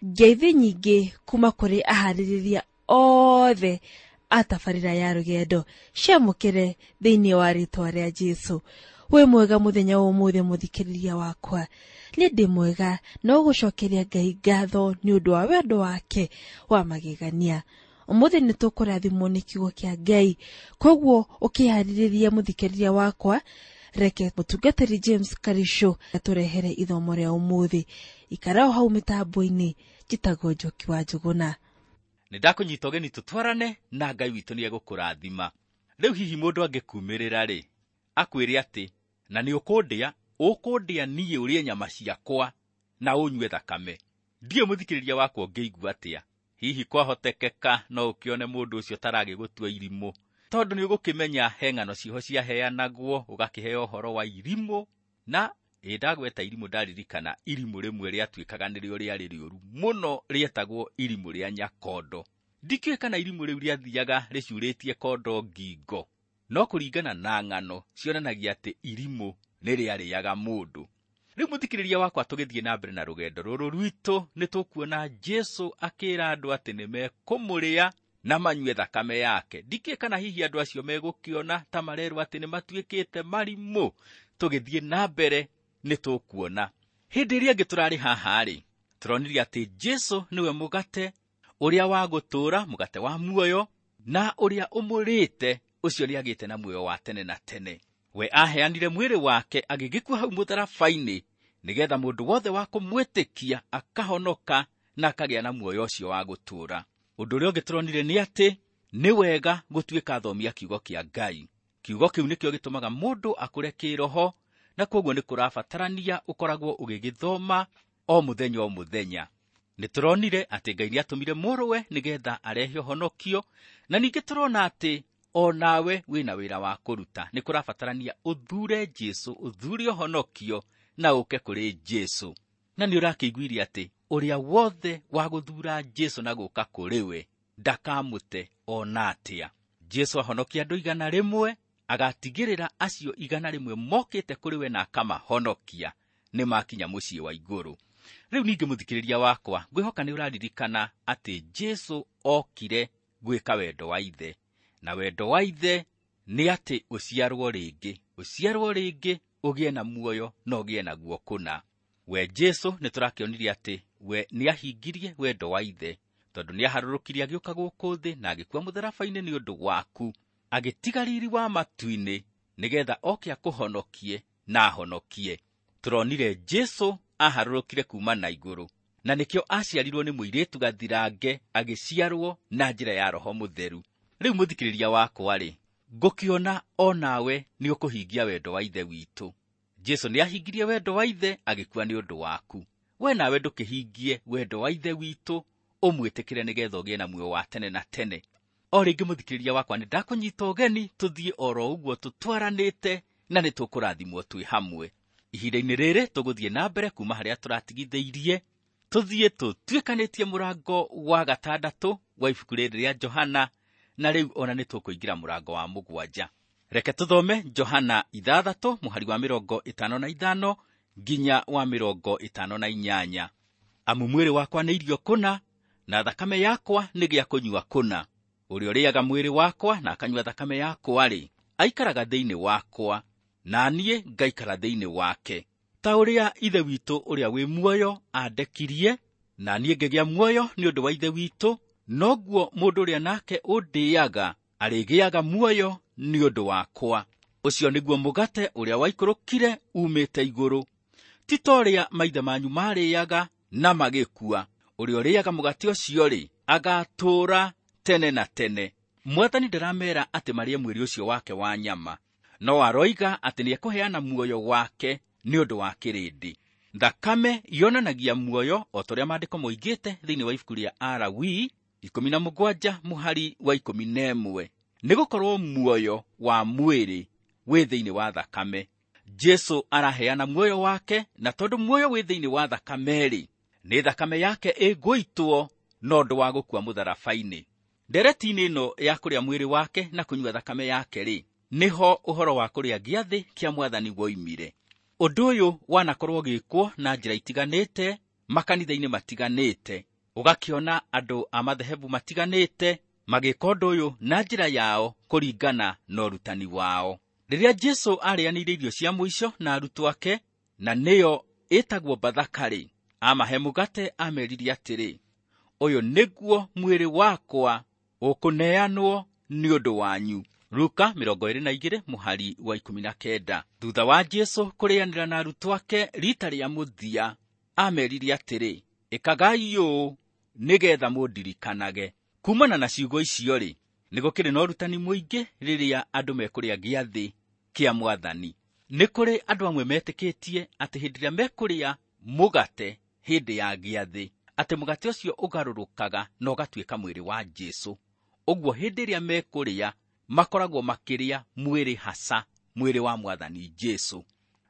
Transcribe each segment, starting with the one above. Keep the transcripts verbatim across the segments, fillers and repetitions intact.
Ngeithi nyingĩ kuma kũrĩ aharĩrĩria othe a tabarĩra ya rũgendo ciamũkĩre thĩinĩ wa rĩtwa rĩa Jesũ. Wĩ mwega mũthenya wa ũmũthĩ mũthikĩrĩria wakwa. Nĩ ndĩ mwega no gũcokeria Ngai ngatho nĩ ũndũ wa wendo wake wa magegania. Ũmũthĩ nĩ tũkũrathimwo nĩ kiugo kĩa Ngai, koguo ũkĩharĩrĩria mũthikĩrĩria wakwa, reke mũtungatĩri James Karisho atũrehere ithomo rĩa ũmũthĩ. Ikara o hau mĩtambo-inĩ, njĩtagwo Njoki wa Njũgũna. Nĩ ndakũnyita ũgeni tũtwarane na Ngai witũ nĩ egũkũrathima. Rĩu hihi mũndũ angĩkumĩrĩra rĩ, akwĩre atĩ na nĩ ũkũndĩa, ũkũndĩa niĩ ũrĩe nyama ciakwa na ũnyue thakame. Ndiũĩ mũthikĩrĩria wakwa ũngĩigua atĩa. Hihi kwahotekeka no ũkĩone mũndũ ũcio taragĩgũtua irimũ, tondũ nĩ ũgũkĩmenya he ng'ano ciho ciaheanagwo, ũgakĩheo ũhoro wa irimũ. Na ĩ ndagweta irimũ ndaririkana irimũ rĩmwe rĩatuĩkaga nĩrĩo rĩarĩ rĩũru mũno, rĩetagwo irimũ rĩa nyakondo. Ndikĩũĩ kana irimũ rĩu rĩathiaga rĩcurĩtie kondo ngingo, no kũringana na ng'ano cionanagia atĩ irimũ nĩ rĩarĩaga mũndũ. Rĩu mũthikĩrĩria wakwa, tũgĩthiĩ na mbere na rũgendo rũrũ rwitũ, nĩ tũkuona Jesũ akĩra andũ atĩ nĩ mekũmũrĩa na manyue thakame yake. Ndikĩũĩ kana hihi andũ acio megũkĩona ta marerwo atĩ nĩ matuĩkĩte marimũ. Tũgĩthiĩ na mbere nĩ tũkuona. Hĩndĩ ĩrĩa ĩngĩ tũrarĩ haha rĩ, tũronire atĩ Jesũ nĩwe mũgate ũrĩa wa gũtũũra, mũgate wa muoyo, na ũrĩa ũmũrĩte ũcio nĩagĩte na muoyo wa tene na tene. We aheanire mwĩrĩ wake agĩgĩkua hau mũtharaba-inĩ, nĩgetha mũndũ wothe wa kũmwĩtĩkia akahonoka na akagĩa na muoyo ũcio wa gũtũũra. Ũndũ ũrĩa ũngĩ tũronire nĩ atĩ nĩ wega gũtuĩka athomi a kiugo kĩa Ngai. Kiugo kĩu nĩkĩo gĩtũmaga mũndũ akũre kĩroho, na kwoguo nĩ kũrabatarania ũkoragwo ũgĩgĩthoma o mũthenya o mũthenya. Nĩ tũronire atĩ Ngai nĩatũmire mũrũwe nĩgetha arehe ũhonokio, na ningĩ tũrona atĩ o nawe wĩna wĩra wa kũruta. Nĩ kũrabatarania ũthure Jesũ, ũthure ũhonokio na ũke kũrĩ Jesũ. Na nĩ ũrakĩiguire atĩ ũrĩa wothe wa gũthura Jesũ na gũka kũrĩ we ndakamũte ona atĩa. Jesũ ahonokia andũ igana rĩmwe, agatigĩrĩra acio igana rĩmwe mokĩte kũrĩ we na akamahonokia nĩ makinya mũciĩ wa igũrũ. Rĩu ningĩ mũthikĩrĩria wakwa, ngwĩhoka nĩ ũraririkana atĩ Jesũ okire gwĩka wendo wa Ithe, na wendo wa Ithe nĩ atĩ ũciarwo rĩngĩ, ũciarwo rĩngĩ ũgĩe na muoyo na ũgĩe naguo kũna. We Jesũ nĩ tũrakĩonire atĩ we nĩahingirie wendo wa Ithe, tondũ nĩaharũrũkirie agĩũka gũkũ thĩ na agĩkua mũtharaba-inĩ nĩ ũndũ waku, agĩtiga riri wa matu-inĩ nĩgetha oke akũhonokie na ahonokie. Tũronire Jesũ aharũrũkire kuma na igũrũ, na nĩkĩo aciarirwo nĩ mũirĩtu gathirange, agĩciarwo na njĩra ya Roho Mũtheru. Rĩu mũthikĩrĩria wakwa rĩ, ngũkĩona o nawe nĩ ũkũhingia wendo wa Ithe witũ. Jesũ nĩahingirie wendo wa Ithe agĩkua nĩ ũndũ waku. We nawe ndũkĩhingie wendo wa Ithe witũ, ũmwĩtĩkĩre nĩgetha ũgĩe na muoyo wa tene na tene. O rĩngĩ mũthikĩrĩria wakwa, nĩ ndakũnyita ũgeni tũthiĩ oro ũguo tũtwaranĩte, na nĩ tũkũrathimwo twĩ hamwe. Ihinda-inĩ rĩrĩ tũgũthiĩ na mbere kuma harĩa tũratigithĩirie, tũthiĩ tũtuĩkanĩtie mũrango wa gatandatũ wa ibuku rĩrĩ rĩa Johana, na rĩu ona nĩ tũkũingĩra mũrango wa mũgwanja. Reke tũthome Johana ithathatũ mũhari wa mĩrongo ĩtano na ithano nginya wa mĩrongo ĩtano na inyanya. Amu mwĩrĩ wakwa nĩ irio kũna, na thakame yakwa nĩ gĩa kũnyua kũna. Ũrĩa ũrĩaga mwĩrĩ wakwa na akanyua thakame yakwa-rĩ, aikaraga thĩinĩ wakwa, na niĩ ngaikara thĩinĩ wake. Ta ũrĩa Ithe witũ ũrĩa wĩ muoyo andekirie, na niĩ ngĩgĩa muoyo nĩ ũndũ wa Ithe witũ, noguo mũndũ ũrĩa nake ũndĩaga arĩgĩaga muoyo nĩ ũndũ wakwa. Ũcio nĩguo mũgate ũrĩa waikũrũkire umĩte igũrũ, ti ta ũrĩa maithe manyu marĩaga na magĩkua. Ũrĩa ũrĩaga mũgate ũcio-rĩ, agatũũra tene na tene. Mwathani ndaramera atĩ marĩe mwĩrĩ ũcio wake wa nyama, no aroiga atĩ nĩekũheana muoyo wake nĩ ũndũ wa kĩrĩndĩ. Thakame yonanagia muoyo o ta ũrĩa maandĩko moigĩte thĩinĩ wa ibuku rĩa Alawii ikũmi na mũgwanja mũhari wa ikũmi na ĩmwe, nĩgũkorwo muoyo wa mwĩrĩ wĩ thĩinĩ wa thakame. Jesũ araheana muoyo wake, na tondũ muoyo wĩ thĩinĩ wa thakame-rĩ, nĩ thakame yake ĩgũitwo na ũndũ wa gũkua mũtharaba-inĩ. Ndereti-inĩ ĩno ya kũrĩa mwĩrĩ wake na kũnyua thakame yake-rĩ, nĩho ũhoro wa kũrĩa gĩathĩ kĩa Mwathani woimire. Ũndũ ũyũ wanakorwo ũgĩkwo na njĩra itiganĩte makanitha-inĩ matiganĩte, Ũgakĩona andũ a madhehebu matiganĩte magĩka ũndũ ũyũ na njĩra yao kũringana na ũrutani wao. Rĩrĩa Jesũ arĩanĩire irio cia mũico na arutwo ake, na nĩyo ĩtagwo Bathaka-rĩ, amahe mũgate amerire atĩrĩ, ũyũ nĩguo mwĩrĩ wakwa ũkũneanwo nĩ ũndũ wanyu. Luka mĩrongo ĩrĩ na igĩrĩ mũhari wa ikũmi na kenda. Thutha wa Jesũ kũrĩanĩra na arutwo ake rita rĩa mũthia, amerire atĩrĩ, ĩkagai ũũ nĩgetha mũndirikanage. Kumana na ciugo icio-rĩ, nĩ gũkĩrĩ na ũrutani mũingĩ rĩrĩa andũ mekũrĩa gĩathĩ kĩa Mwathani. Nĩ kũrĩ andũ amwe metĩkĩtie atĩ hĩndĩ ĩrĩa mekũrĩa mũgate hĩndĩ ya gĩathĩ, atĩ mũgate ũcio ũgarũrũkaga na ũgatuĩka mwĩrĩ wa Jesũ. Ũguo hĩndĩ ĩrĩa mekũrĩa makoragwo makĩrĩa mwĩrĩ hasa, mwĩrĩ wa Mwathani Jesũ.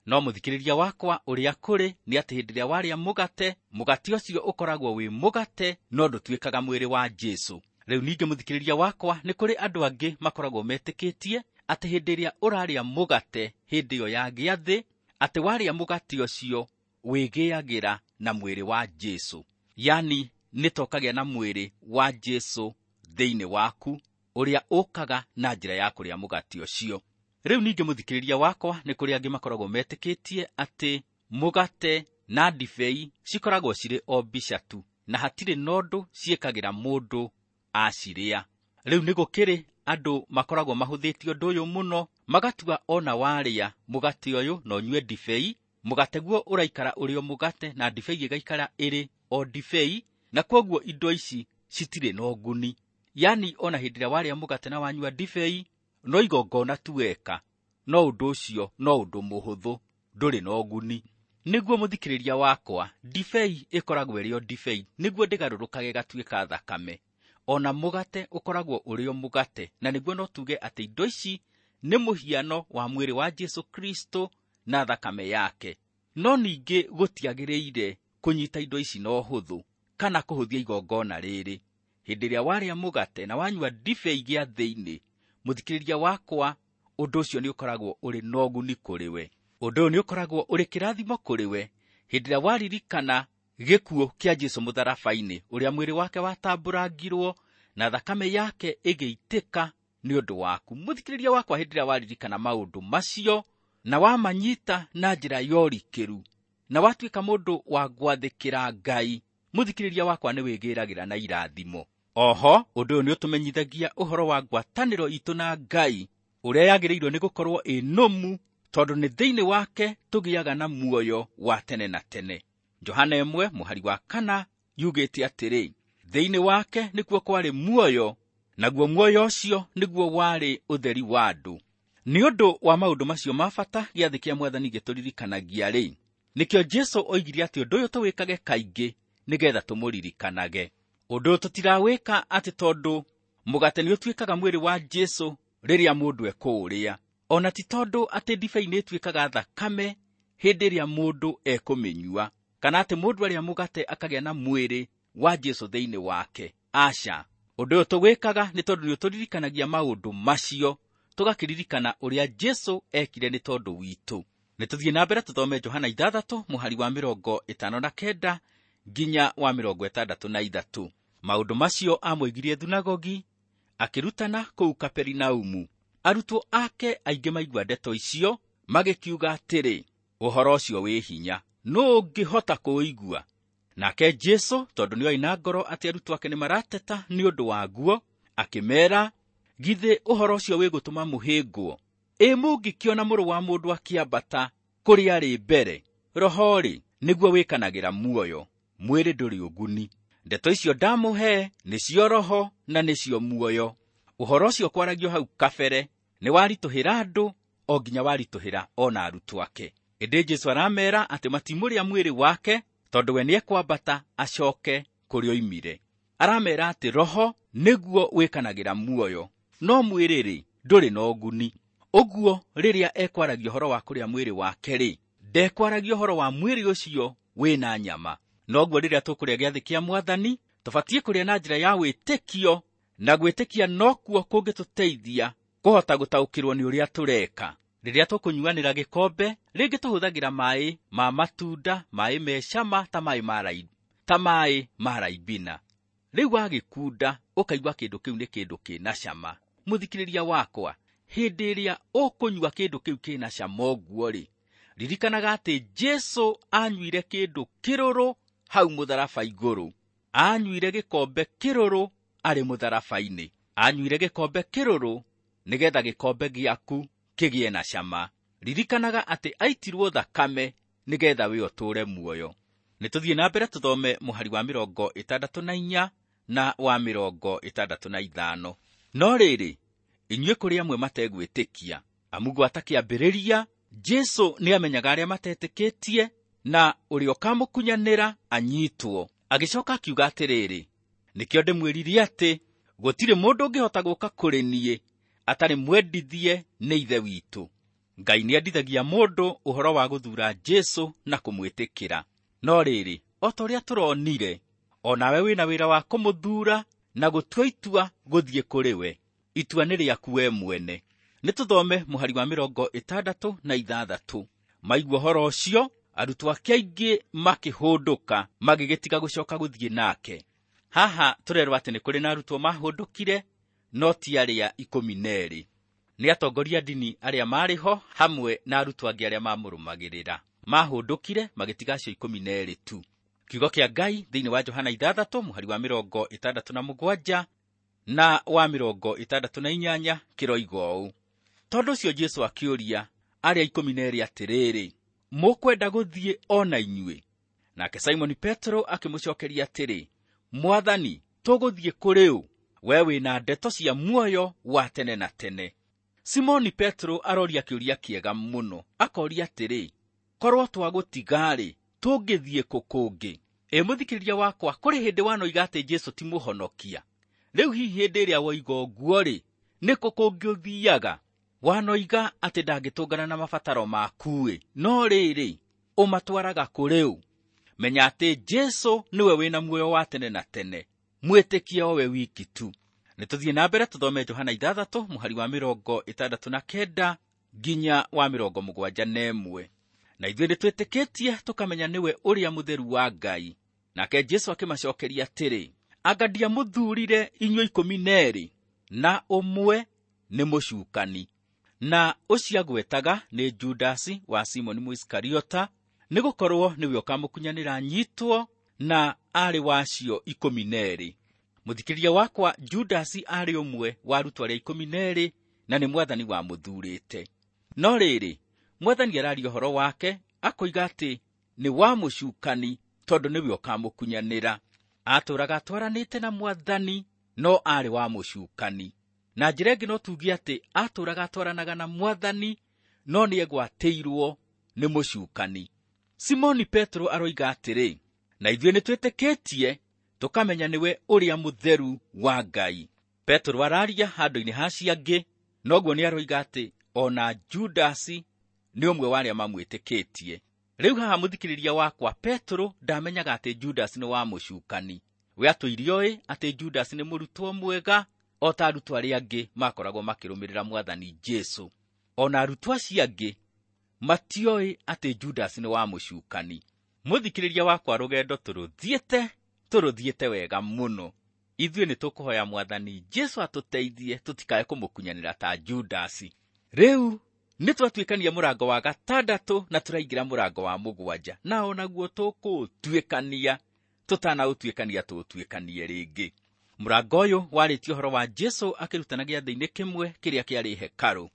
No mũthikĩrĩria wakwa, ũrĩa kũrĩ nĩ atĩ hĩndĩ ĩrĩa warĩa mũgate, mũgate ũcio ũkoragwo wĩ mũgate no ndũtuĩkaga mwĩrĩ wa Jesũ. Rĩu ningĩ mũthikĩrĩria wakwa, nĩ kũrĩ andũ angĩ makoragwo metĩkĩtie atĩ hĩndĩ ĩrĩa ũrarĩa mũgate hĩndĩ ĩyo ya gĩathĩ, atĩ warĩa mũgate ũcio wĩgĩagĩra na mwĩrĩ wa Jesũ. Yani nĩ ta ũkagĩa na mwĩrĩ wa Jesũ thĩinĩ waku, ũrĩa ũkaga na njĩra ya kũrĩa mũgate ũcio. Rĩu ningĩ mũthikĩrĩria wakwa, nĩ kũrĩ angĩ makoragwo metĩkĩtie atĩ mũgate na ndibei cikoragwo cirĩ o mbica tu, na hatirĩ na ũndũ ciĩkagĩra mũndũ acirĩa. Rĩu nĩ gũkĩrĩ andũ makoragwo mahũthĩtie ũndũ ũyũ mũno, magatua ona warĩa mũgate ũyũ na ũnyue ndibei, mũgate guo ũraikara ũrĩ o mũgate na ndibei ĩgaikara ĩrĩ o ndibei, na kwoguo indo ici citirĩ na ũguni. Yani ona hĩndĩ ĩrĩa warĩa mũgate na wanyua ndibei, no igongona tu weka, no ũndũ ũcio no ũndũ mũhũthũ, ndũrĩ na ũguni. Nĩguo mũthikĩrĩria wakwa, ndibei ĩkoragwo ĩrĩ o ndibei, nĩguo ndĩgarũrũkage ĩgatuĩka thakame. Ona mũgate ũkoragwo ũrĩ o mũgate, na nĩguo no tuge atĩ indo ici nĩ mũhiano wa mwĩrĩ wa Jesũ Kristo na thakame yake. No ningĩ gũtiagĩrĩire kũnyita indo ici na ũhũthũ kana kũhũthia igongona rĩrĩ. Hĩndĩ ĩrĩa warĩa mũgate na wanyua ndibei gĩathĩ-inĩ, mũthikĩrĩria wakwa, ũndũ ũcio nĩ ũkoragwo ũrĩ na ũguni kũrĩ we. Ũndũ ũyũ nĩ ũkoragwo ũrĩ kĩrathimo kũrĩ we hĩndĩ ĩrĩa waririkana gĩkuũ kĩa Jesũ mũtharaba-inĩ, ũrĩa mwĩrĩ wake watambũrangirwo na thakame yake ĩgĩitĩka nĩ ũndũ waku. Mũthikĩrĩria wakwa, hĩndĩ ĩrĩa waririkana maũndũ macio na wamanyita na njĩra ya ũrikĩru na watuĩka mũndũ wa gwathĩkĩra Ngai, mũthikĩrĩria wakwa, nĩ wĩgĩragĩra na irathimo. Oho, ũndũ ũyũ nĩ ũtũmenyithagia ũhoro wa ngwatanĩro itũ na Ngai, ũrĩa yagĩrĩirwo nĩ gũkorwo ĩ nũmu, tondũ nĩ thĩinĩ wake tũgĩaga na muoyo wa tene na tene. Johana ĩmwe mũhari wa kana yugĩte atĩrĩ, thĩinĩ wake nĩkuo kwarĩ muoyo, naguo muoyo ũcio nĩguo warĩ ũtheri wa andũ. Nĩ ũndũ wa maũndũ macio ma bata gĩathĩ kĩa Mwathani gĩtũririkanagia rĩ, nĩkĩo Jesũ oigire atĩ ũndũ ũyũ tũwĩkage kaingĩ nĩgetha tũmũririkanage. Ũndũ ũyũ tũtirawĩka atĩ tondũ mũgate nĩ ũtuĩkaga mwĩrĩ wa Jesũ rĩrĩa mũndũ ekũũrĩa, ona ti tondũ atĩ ndibei nĩ ĩtuĩkaga thakame hĩndĩ ĩrĩa mũndũ ekũmĩnyua, kana atĩ mũndũ arĩa mũgate akagĩa na mwĩrĩ wa Jesũ thĩinĩ wake. Aca, ũndũ ũyũ tũwĩkaga nĩ tondũ nĩ ũtũririkanagia maũndũ macio, tũgakĩririkana ũrĩa Jesũ ekire nĩ tondũ witũ. Nĩ tũthiĩ na mbere tũthome Johana ithathatũ mũhari wa mĩrongo ĩtano na kenda nginya wa mĩrongo ĩtandatũ na ithatũ. Maũndũ macio amũigirie thunagogi akĩrutana kũu Kaperinaumu. Arutwo ake aingĩ maigua ndeto icio magĩkiuga atĩrĩ, ũhoro ũcio wĩ hinya, nũũ ũngĩhota kũũigua? Nake Jesũ, tondũ nĩoĩ na ngoro atĩ arutwo ake nĩmarateta nĩ ũndũ waguo, akĩmeera, githĩ ũhoro ũcio wĩgũtũma mũhĩngwo? Ĩ mũngĩkĩona mũrũ wa mũndũ akĩambata kũrĩa arĩ mbere? Roho-rĩ, nĩguo wĩkanagĩra muoyo, mwĩrĩ ndũrĩ ũguni. Ndeto icio ndamũhe nĩcio roho na nĩcio muoyo. Ũhoro ũcio kwaragio hau kabere nĩ waritũhĩra andũ o nginya waritũhĩra ona arutwo ake. Ĩndĩ Jesũ aramera atĩ matimũrĩa mwĩrĩ wake tondũ we nĩekwambata acoke kũrĩa oimire. Aramera atĩ roho nĩguo wĩkanagĩra muoyo, no mwĩrĩ-rĩ ndũrĩ na ũguni. Ũguo rĩrĩa ekwaragia ũhoro wa kũrĩa mwĩrĩ wake-rĩ, ndekwaragia ũhoro wa mwĩrĩ ũcio wĩna nyama. Noguo rĩrĩa tũkũrĩa gĩathĩ kĩa Mwathani, tũbatiĩ kũrĩa na njĩra ya wĩtĩkio, na gwĩtĩkia nokuo kũngĩtũteithia kũhota gũtaũkĩrwo nĩ ũrĩa tũreka. Rĩrĩa tũkũnyuanĩra gĩkombe, rĩngĩ tũhũthagĩra maĩ ma matunda, maĩ me cama ta maĩ ma raithi, ta maĩ ma Ribina. Rĩu wagĩkunda ũkaigua kĩndũ kĩu nĩ kĩndũ kĩna cama. Mũthikĩrĩria wakwa, hĩndĩ ĩrĩa ũkũnyua kĩndũ kĩu kĩna cama ũguo-rĩ, ririkanaga atĩ Jesũ anyuire kĩndũ kĩrũrũ hau mũtharaba igũrũ. Anyuire gĩkombe kĩrũrũ arĩ mũtharaba-inĩ. Anyuire gĩkombe kĩrũrũ nĩgetha gĩkombe gĩaku kĩgĩe na cama. Ririkanaga atĩ aitirwo thakame nĩgetha we ũtũũre muoyo. Nĩ tũthiĩ na mbere tũthome mũhari wa mĩrongo ĩtandatũ na inya na wa mĩrongo ĩtandatũ na ithano. No rĩrĩ, inyuĩ kũrĩ amwe mategwĩtĩkia, amu gwata kĩambĩrĩria Jesũ nĩamenyaga arĩa matetĩkĩtie na ũrĩa ũkamũkunyanĩra anyitwo. Agĩcoka akiuga atĩrĩrĩ, nĩkĩo ndĩmwĩrire atĩ gũtirĩ mũndũ ũngĩhota gũka kũrĩ niĩ atarĩ mwendithie nĩ Ithe witũ. Ngai nĩendithagia mũndũ ũhoro wa gũthuura Jesũ na kũmwĩtĩkĩra. No rĩrĩ, o ta ũrĩa tũronire, o nawe wĩna wĩra wa kũmũthuura na gũtua itua gũthiĩ kũrĩ we. Itua nĩ rĩaku we mwene. Nĩ tũthome mũhari wa mĩrongo ĩtandatũ na ithathatũ. Maigua ũhoro ũcio, arutwo ake aingĩ makĩhũndũka, magĩgĩtiga gũcoka gũthiĩ nake. Haha tũrerwo atĩ nĩ kũrĩ na arutwo mahũndũkire, no ti arĩa ikũmi na erĩ. Nĩ atongoria ndini arĩa maarĩ ho hamwe na arutwo angĩ arĩa mamũrũmagĩrĩra. Mahũndũkire magĩtiga acio ikũmi na erĩ tu. Kiugo kĩa Ngai thĩinĩ wa Johana ithathatũ mũhari wa mĩrongo ĩtandatũ na mũgwanja na wa mĩrongo ĩtandatũ na inyanya kĩroiga ũũ. Tondũ ũcio Jesũ akĩũria arĩa ikũmi na erĩ atĩrĩrĩ, mũkwenda gũthiĩ o na inyuĩ? Nake Simoni Petero akĩmũcokeria atĩrĩ, Mwathani, tũgũthiĩ kũrĩ ũ? We wĩna ndeto cia muoyo wa tene na tene. Simoni Petero aroria kĩũria kĩega mũno, akoria atĩrĩ, korwo twagũtiga-rĩ, tũngĩthiĩ kũ kũngĩ? Ĩ mũthikĩrĩria wakwa, kũrĩ hĩndĩ wanoiga atĩ Jesũ ti mũhonokia. Rĩu hihi hĩndĩ ĩrĩa woiga ũguo-rĩ, nĩ kũ kũngĩ ũthiaga? Wanoiga atĩ ndangĩtũngana na mabataro maku-ĩ, no rĩrĩ, ũmatwaraga kũrĩ ũ? Menya atĩ Jesũ nĩwe wĩna muoyo wa tene na tene, mwĩtĩkie o we wiki tu. Nĩ tũthiĩ na mbere tũthome Johana ithathatũ mũhari wa mĩrongo ĩtandatũ na kenda nginya wa mĩrongo mũgwanja na ĩmwe. Na ithuĩ nĩtwĩtĩkĩtie tũkamenya nĩwe ũrĩa mũtheru wa Ngai. Nake Jesũ akĩmacokeria atĩrĩ, anga ndiamũthuurire inyuĩ ikũmi na erĩ, na ũmwe nĩ mũcukani. Na ũcio agwetaga nĩ Judasi wa Simoni Mũisikariota, nĩgũkorwo nĩwe ũkamũkunyanĩra anyitwo, na aarĩ wa acio ikũmi na erĩ. Mũthikĩrĩria wakwa, Judasi aarĩ ũmwe wa arutwo arĩa ikũmi na erĩ, na nĩ Mwathani wamũthuurĩte. No rĩrĩ, Mwathani araria ũhoro wake, akoiga atĩ nĩ wa mũcukani tondũ nĩwe ũkamũkunyanĩra. Atũũraga atwaranĩte na Mwathani, no aarĩ wa mũcukani. Na njĩra ĩngĩ no tuge atĩ atũũraga atwaranaga na Mwathani, no nĩegwatĩirwo nĩ mũcukani. Simoni Petero aroiga atĩrĩ, na ithuĩ nĩtwĩtĩkĩtie tũkamenya nĩwe ũrĩa mũtheru wa Ngai. Petero araria handũ-inĩ ha acio angĩ, noguo nĩaroiga atĩ ona Judasi nĩ ũmwe wa arĩa mamwĩtĩkĩtie. Rĩu haha mũthikĩrĩria wakwa, Petero ndamenyaga atĩ Judasi nĩ wa mũcukani. We atũire oĩ atĩ Judasi nĩ mũrutwo mwega o ta arutwo arĩa angĩ makoragwo makĩrũmĩrĩra Mwathani Jesũ. Ona arutwo acio angĩ matioĩ atĩ Judasi nĩ wa mũcukani. Mũthikĩrĩria wakwa, rũgendo tũrũthiĩte, tũrũthiĩte wega mũno. Ithuĩ nĩtũkũhoya Mwathani Jesũ atũteithie tũtikae kũmũkunyanĩra ta Judasi. Rĩu nĩtwatuĩkania mũrango wa gatandatũ na tũraingĩra mũrango wa mũgwanja, na onaguo tũkũũtuĩkania, tũtanaũtuĩkania tũũtuĩkanie rĩngĩ. Mũrango ũyũ warĩtie ũhoro wa Jesũ akĩrutana gĩathĩ-inĩ kĩmwe kĩrĩa kĩarĩ hekarũ.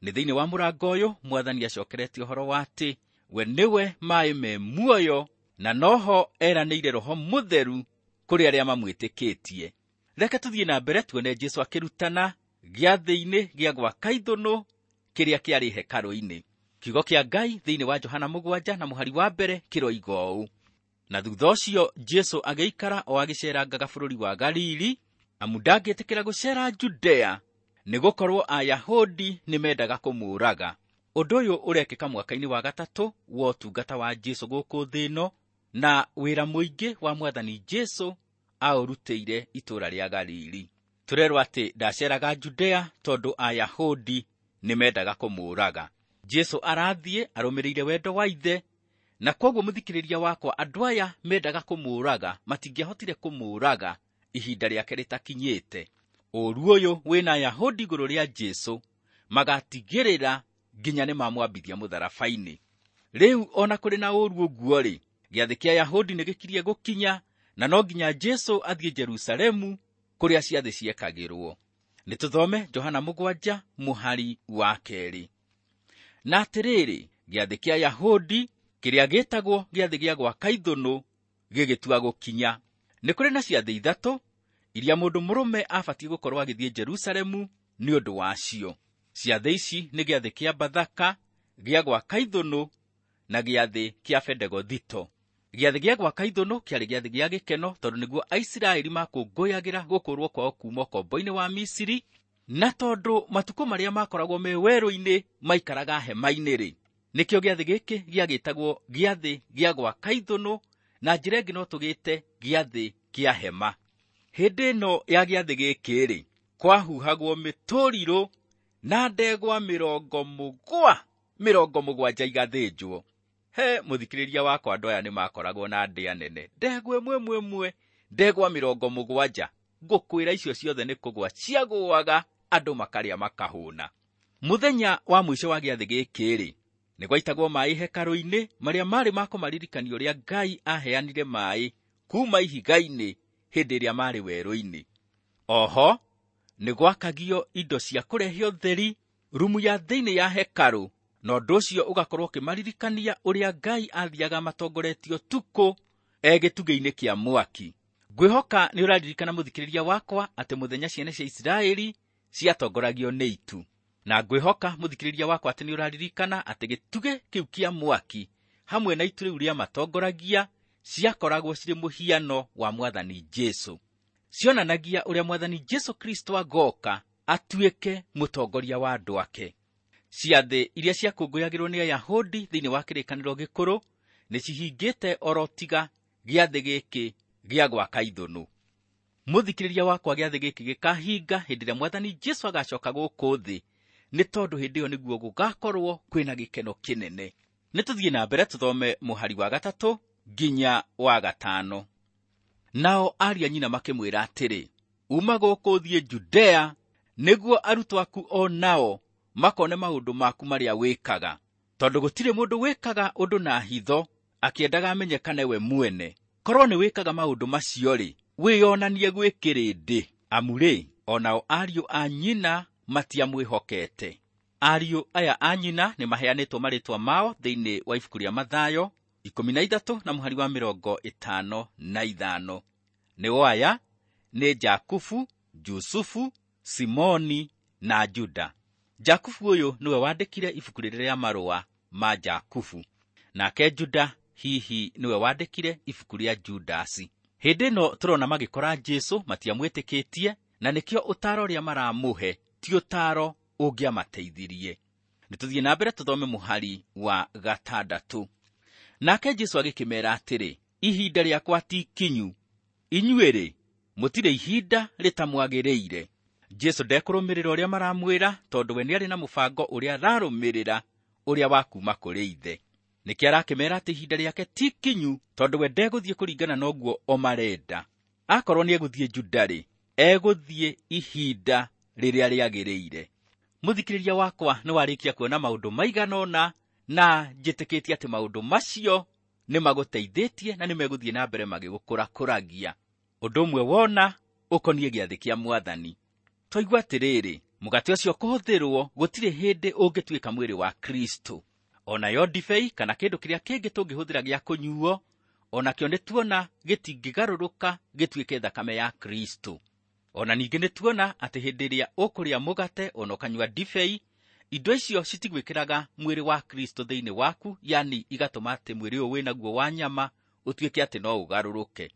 Nĩ thĩinĩ wa mũrango ũyũ Mwathani acokeretie ũhoro wa atĩ we nĩwe maĩ me muoyo, na noho eranĩire Roho Mũtheru kũrĩ arĩa mamwĩtĩkĩtie. Reke tũthiĩ na mbere tuone Jesũ akĩrutana gĩathĩ-inĩ gĩa gwaka ithũnũ kĩrĩa kĩarĩ hekarũ-inĩ. Kiugo kĩa Ngai thĩinĩ wa Johana mũgwanja na mũhari wa mbere kĩroiga ũũ: na thutha ũcio Jesũ agĩikara o agĩceerangaga bũrũri wa Galili, amu ndangĩtĩkĩra gũceera Judea, nĩgũkorwo Ayahudi nĩmendaga kũmũũraga. Ũndũ ũyũ ũrekĩka mwaka-inĩ wa gatatũ wa ũtungata wa Jesũ gũkũ thĩ ĩno, na wĩra mũingĩ wa Mwathani Jesũ aũrutĩire itũũra rĩa Galili. Tũrerwo atĩ ndaceeraga Judea tondũ Ayahudi nĩmendaga kũmũũraga. Jesũ arathiĩ arũmĩrĩire wendo wa Ithe, Na kwoguo mũthikĩrĩria wakwa, andũ aya mendaga kũmũũraga matingĩahotire kũmũũraga ihinda rĩake rĩtakinyĩte. Ũũru ũyũ wĩna Ayahudi igũrũ rĩa Jesũ magatigĩrĩra nginya nĩ mamwambithia mũtharaba-inĩ. Rĩu ona kũrĩ na ũũru ũguo-rĩ, gĩathĩ kĩa Ayahudi nĩ gĩkirie gũkinya na no nginya Jesũ athiĩ Jerusalemu kũrĩa ciathĩ ciekagĩrwo. Nĩ tũthome Johana mũgwanja mũhari wa kerĩ. Na atĩrĩrĩ, gĩathĩ kĩa Ayahudi kĩrĩa gĩtagwo gĩathĩ gĩa gwaka ithũnũ gĩgĩtua gũkinya. Nĩ kũrĩ na ciathĩ ithatũ iria mũndũ mũrũme abatiĩ gũkorwo agĩthiĩ Jerusalemu nĩ ũndũ wacio. Ciathĩ ici nĩ gĩathĩ kĩa Bathaka, gĩa gwaka ithũnũ na gĩathĩ kĩa Bendegothito. Gĩathĩ gĩa gwaka ithũnũ kĩarĩ gĩathĩ gĩa gĩkeno tondũ nĩguo Aisiraeli makũngũyagĩra gũkũrwo kwao kuma ũkombo-inĩ wa Misiri, na tondũ matukũ marĩa makoragwo me werũ-inĩ maikaraga hema-inĩ-rĩ, nĩkĩo gĩathĩ gĩkĩ gĩagĩtagwo gĩathĩ gĩa gwaka ithũnũ, na njĩra ĩngĩ no tũgĩte gĩathĩ kĩa hema. Hĩndĩ ĩno ya gĩathĩ gĩkĩ-rĩ, kwahuhagwo mĩtũrirũ na ndegwa mĩrongo mũgwa mĩrongo mũgwanja igathĩnjwo. He mũthikĩrĩria wakwa, andũ aya nĩ makoragwo na ndĩa nene, ndegwa ĩmwe ĩmwe ĩmwe, ndegwa mĩrongo mũgwanja. Ngũkwĩra icio ciothe nĩ kũgwa ciagũaga, andũ makarĩa makahũna. Mũthenya wa mũico wa gĩathĩ gĩkĩ-rĩ, nĩ gwaitagwo maĩ hekarũ-inĩ marĩa marĩ ma kũmaririkania ũrĩa Ngai aheanire maĩ kuma ihiga-inĩ hĩndĩ ĩrĩa marĩ werũ-inĩ. Oho nĩ gwakagio indo cia kũrehe ũtheri rumu ya thĩinĩ ya hekarũ, na ũndũ ũcio ũgakorwo ũkĩmaririkania ũrĩa Ngai athiaga matongoretio ũtukũ e gĩtugĩ-inĩ kĩa mwaki. Ngwĩhoka nĩ ũraririkana mũthikĩrĩria wakwa atĩ mũthenya ciana cia Isiraeli ciatongoragio nĩ itu, na ngwĩhoka mũthikĩrĩria wakwa atĩ nĩ ũraririkana atĩ gĩtugĩ kĩu kĩa mwaki hamwe na itu rĩu rĩa matongoragia ciakoragwo cirĩ mũhiano wa Mwathani Jesũ. Cionanagia ũrĩa Mwathani Jesũ Kristo agoka atuĩke mũtongoria wa andũ ake. Ciathĩ iria ciakũngũyagĩrwo nĩ Ayahudi thĩinĩ wa kĩrĩkanĩro gĩkũrũ nĩ cihingĩte oro tiga gĩathĩ gĩkĩ gĩa gwaka ithũnũ. Mũthikĩrĩria wakwa, gĩathĩ gĩkĩ gĩkahinga hĩndĩ ĩrĩa Mwathani Jesũ agacoka gũkũ thĩ, nĩ tondũ hĩndĩ ĩyo nĩguo gũgakorwo kwĩna gĩkeno kĩnene. Nĩ tũthiĩ na mbere tũthome mũhari wa gatatũ nginya wa gatano. Nao ariũ a nyina makĩmwĩra atĩrĩ, uma gũkũ ũthiĩ Judea, nĩguo arutwo aku o nao makone maũndũ maku marĩa wĩkaga, tondũ gũtirĩ mũndũ wĩkaga ũndũ na hitho akĩendaga amenyekane we mwene. Korwo nĩ wĩkaga maũndũ macio-rĩ, wĩyonanie gwĩ kĩrĩndĩ, amu-rĩ, o nao ariũ a nyina matiamwĩhokete. Ariũ aya a nyina nĩ maheanĩtwo marĩtwa mao thĩinĩ wa ibuku rĩa Mathayo ikũmi na ithatũ na mũhari wa mĩrongo ĩtano na ithano. Nĩo aya nĩ Jakubu, Jusufu, Simoni na Juda. Jakubu ũyũ nĩwe wandĩkire ibuku rĩrĩa rĩa marũa ma Jakubu, nake Juda hihi nĩwe wandĩkire ibuku rĩa Judasi. Hĩndĩ ĩno tũrona magĩkora Jesũ matiamwĩtĩkĩtie, na nĩkĩo ũtaaro ũrĩa maramũhe ti ũtaaro ũngĩamateithirie. Nĩ tũthiĩ na mbere tũthome mũhari wa gatandatũ. Nake Jesũ agĩkĩmeera atĩrĩ, ihinda rĩakwa ti ikinyu, inyuĩ-rĩ, mũtirĩ ihinda rĩtamwagĩrĩire. Jesũ ndekũrũmĩrĩra ũrĩa maramwĩra, tondũ we nĩarĩ na mũbango ũrĩa ararũmĩrĩra, ũrĩa wa kuma kũrĩ ithe. Nĩkĩo arakĩmeera atĩ ihinda rĩake ti ikinyu, tondũ we ndegũthiĩ kũringana na ũguo o marenda. Akorwo nĩegũthiĩ Juda-rĩ, egũthiĩ ihinda rĩrĩa rĩagĩrĩire. Mũthikĩrĩria wakwa, nĩ warĩkia kuona maũndũ maigana ũna, na njĩtĩkĩtie atĩ maũndũ macio nĩ magũteithĩtie na nĩ megũthiĩ na mbere magĩgũkũrakũragia. Ũndũ ũmwe wona ũkoniĩ gĩathĩ kĩa Mwathani. Twaigua atĩrĩrĩ, mũgate ũcio kũhũthĩrwo gũtirĩ hĩndĩ ũngĩtuĩka mwĩrĩ wa Kristo. Onayo ndibei kana kĩndũ kĩrĩa kĩngĩ tũngĩhũthĩra gĩa kũnyuo, onakĩo nĩ tuona gĩtingĩgarũrũka gĩtuĩke thakame ya Kristo. Ona ningĩ nĩ tuona atĩ hĩndĩ ĩrĩa ũkũrĩa mũgate ona ũkanyua ndibei, indo icio citigwĩkĩraga mwĩrĩ wa Kristo thĩinĩ waku, yani igatũma atĩ mwĩrĩ ũyũ wĩnaguo wa nyama ũtuĩke atĩ no ũgarũrũke.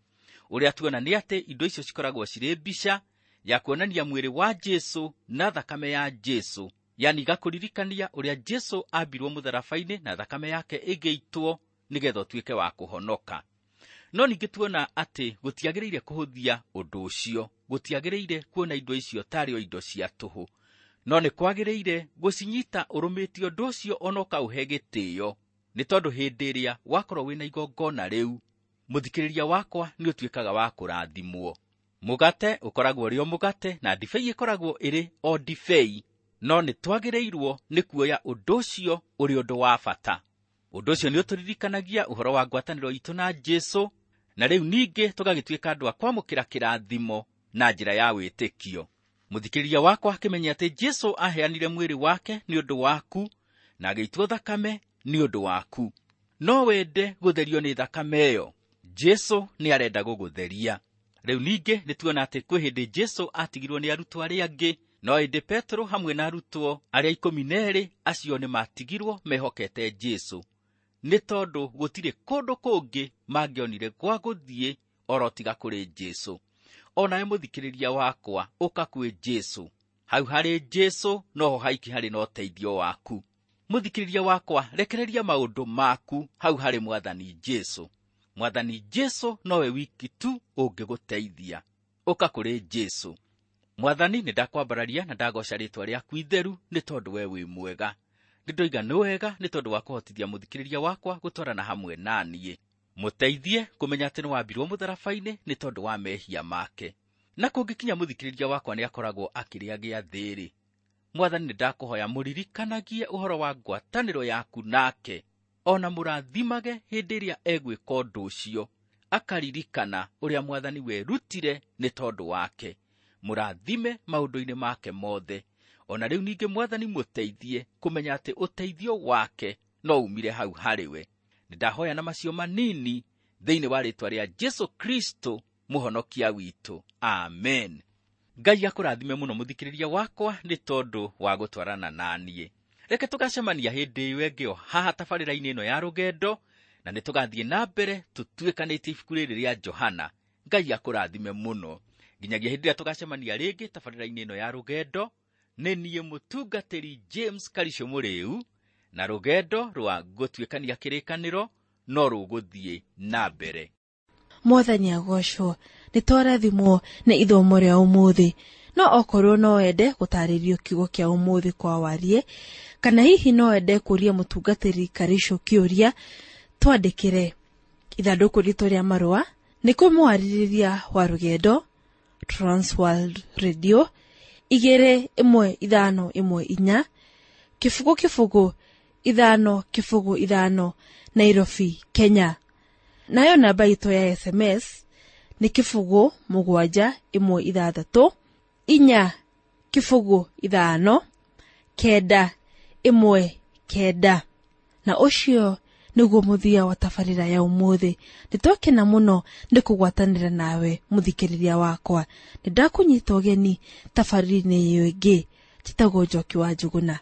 Ũrĩa tuona nĩ atĩ indo icio cikoragwo cirĩ mbica ya kuonania mwĩrĩ wa Jesũ na thakame ya Jesũ, yani igakũririkania ũrĩa Jesũ ambirwo mũtharaba-inĩ na thakame yake ĩgĩitwo nĩgetha ũtuĩke wa kũhonoka. No ningĩ tuona atĩ gũtiagĩrĩire kũhũthia ũndũ ũcio, gũtiagĩrĩire kuona indo icio tarĩ o indo cia tũhũ, no nĩ kwagĩrĩire gũcinyita ũrũmĩtie ũndũ ũcio ona ũkaũhe gĩtĩo, Nĩ tondũ hĩndĩ ĩrĩa wakorwo wĩna igongona rĩu, mũthikĩrĩria wakwa nĩ ũtuĩkaga wa kũrathimwo. Mũgate ũkoragwo ũrĩ o mũgate na ndibei ĩkoragwo ĩrĩ o ndibei, no nĩ twagĩrĩirwo nĩ kuoya ũndũ ũcio ũrĩ ũndũ wa bata. Ũndũ ũcio nĩ ũtũririkanagia ũhoro wa ngwatanĩro itũ na Jesũ, na rĩu ningĩ tũgagĩtuĩka andũ a kwamũkĩra kĩrathimo na njĩra ya wĩtĩkio. Mũthikĩrĩria wakwa akĩmenya atĩ Jesũ aheanire mwĩrĩ wake nĩ ũndũ waku na agĩitwo thakame nĩ ũndũ waku. No wende gũtherio nĩ thakame ĩyo, Jesũ nĩ arenda gũgũtheria. Rĩu ningĩ nĩ tuona atĩ kwĩ hĩndĩ Jesũ atigirwo nĩ arutwo arĩa angĩ, no ĩndĩ Petero hamwe na arutwo arĩa ikũmi na erĩ acio nĩ matigirwo mehokete Jesũ, nĩ tondũ gũtirĩ kũndũ kũngĩ mangĩonire gwa gũthiĩ oro tiga kũrĩ Jesũ. O nawe mũthikĩrĩria wakwa, ũka kwĩ Jesũ. Hau harĩ Jesũ noho haiki harĩ na ũteithio waku. Mũthikĩrĩria wakwa, rekereria maũndũ maku hau harĩ Mwathani Jesũ. Mwathani Jesũ nowe wiki tu ũngĩgũteithia. Ũka kũrĩ Jesũ. Mwathani, nĩ ndakwambararia na ndagoca rĩtwa rĩaku itheru nĩ tondũ we wĩ mwega. Nĩ ndoiga nĩ wega nĩ tondũ wa kũhotithia mũthikĩrĩria wakwa gũtwarana hamwe na niĩ. Mũteithie kũmenya atĩ nĩ wambirwo mũtharaba-inĩ nĩ tondũ wa mehia make. Na kũngĩkinya mũthikĩrĩria wakwa nĩ akoragwo akĩrĩa gĩathĩ-rĩ, Mwathani, nĩ ndakũhoya mũririkanagie ũhoro wa ngwatanĩro yaku nake, ona mũrathimage hĩndĩ ĩrĩa egwĩka ũndũ ũcio, akaririkana ũrĩa Mwathani werutire nĩ tondũ wake. Mũrathime maũndũ-inĩ make mothe. Ona rĩu ningĩ Mwathani mũteithie kũmenya atĩ ũteithio wake no umire hau harĩ we. Nĩ ndahoya na macio manini thĩinĩ wa rĩtwa rĩa Jesũ Kristo mũhonokia witũ. Amen. Ngai akũrathime mũno mũthikĩrĩria wakwa nĩ tondũ wa gũtwarana na niĩ. Reke tũgacemania hĩndĩ ĩyo ĩngĩ o haha tabarĩra-inĩ ĩno ya rũgendo, na nĩ tũgathiĩ na mbere tũtuĩkanĩtie ibuku rĩrĩ rĩa Johana. Ngai akũrathime mũno. Nginyagia hĩndĩ ĩrĩa tũgacemania rĩngĩ tabarĩra-inĩ ĩno ya rũgendo, nĩ niĩ mũtungatĩri James Karisho Mũrĩu, na rũgendo rwa gũtuĩkania kĩrĩkanĩro no rũgũthiĩ na mbere. Mwathani agocwo, nĩ twarathimwo nĩ ithomo rĩa ũmũthĩ. No okorwo no wende gũtarĩrio kiugo kĩa ũmũthĩ kwa warie, kana hihi no wende kũria mũtungatĩri Karisho kĩũria, twandĩkĩre ithandũkũ ritũ rĩa marũa nĩ kũmwarĩrĩria wa rũgendo Transworld Radio igĩrĩ ĩmwe ithano ĩmwe inya kĩbũgũ kĩbũgũ ithano kĩbũgũ ithano Nairobi, Kenya. Nayo namba itũ ya S M S nĩ kĩbũgũ mũgwanja ĩmwe ithathatũ inya kĩbũgũ ithano kenda ĩmwe kenda. Na ũcio nĩguo mũthia wa tabarĩra ya ũmũthĩ. Nĩtwakena mũno nĩ kũgwatanĩra nawe mũthikĩrĩria wakwa. Nĩndakũnyita ũgeni tabarĩra-inĩ ĩyo ĩngĩ njĩtagwo Njoki wa Njũgũna,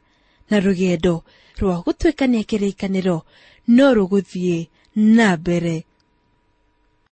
na rũgendo rwa gũtuĩkania kĩrĩkanĩro no rũgũthiĩ na mbere.